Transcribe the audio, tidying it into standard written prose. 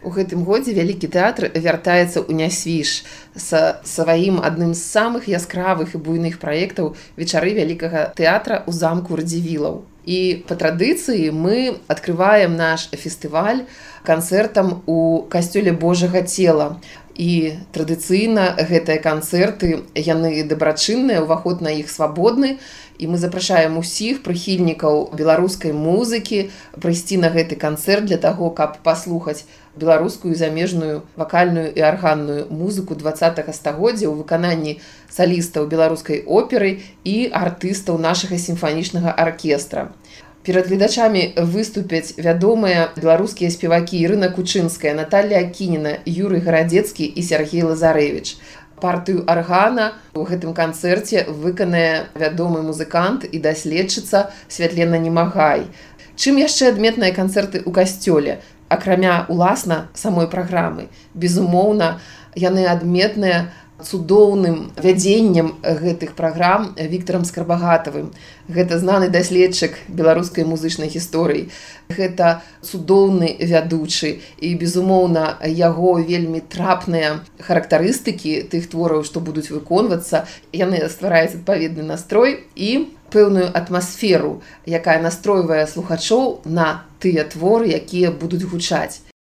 У гэтым годзе вялікі тэатр вяртаецца ў Нясвіж са сваім адным з самых яскравых і буйных праектаў вечары вялікага тэатра ў замку Радзівілаў. І па традыцыі мы адкрываем наш фестываль канцэртам у касцёле Божага цела. І традыцыйна гэтыя канцэрты, яны дабрачынныя, уваход на іх свабодны. І мы запрашаем усіх прыхільнікаў беларускай музыкі прыйсці на гэты канцэрт для таго, каб паслухаць беларускую замежную вакальную і арганную музыку 20-го стагоддзя ў выкананні салістаў беларускай оперы і артыстаў нашага сімфанічнага аркестра. Перад гледачамі выступяць вядомыя беларускія спевакі Ірына Кучынская, Наталля Акініна, Юрый Гарадзецкі і Сергей Лазарэвіч. Партыю аргана ў гэтым канцэрце выканае вядомы музыкант і даследчыца Святлена Немагай. Чым яшчэ адметныя канцэрты ў касцёле? Акрамя уласна самой праграмы. Безумоўна, яны адметныя цудоўным вядзеннем гэтых праграм Віктарам Скарбагатавым. Гэта знаны даследчык беларускай музычнай гісторыі. Гэта цудоўны вядучы і, безумоўна, яго вельмі трапныя характарыстыкі тых твораў, што будуць выконвацца, яны ствараюць адпаведны настрой і пэўную атмасферу, якая настройвае слухачоў на тыя творы, якія будуць гучаць.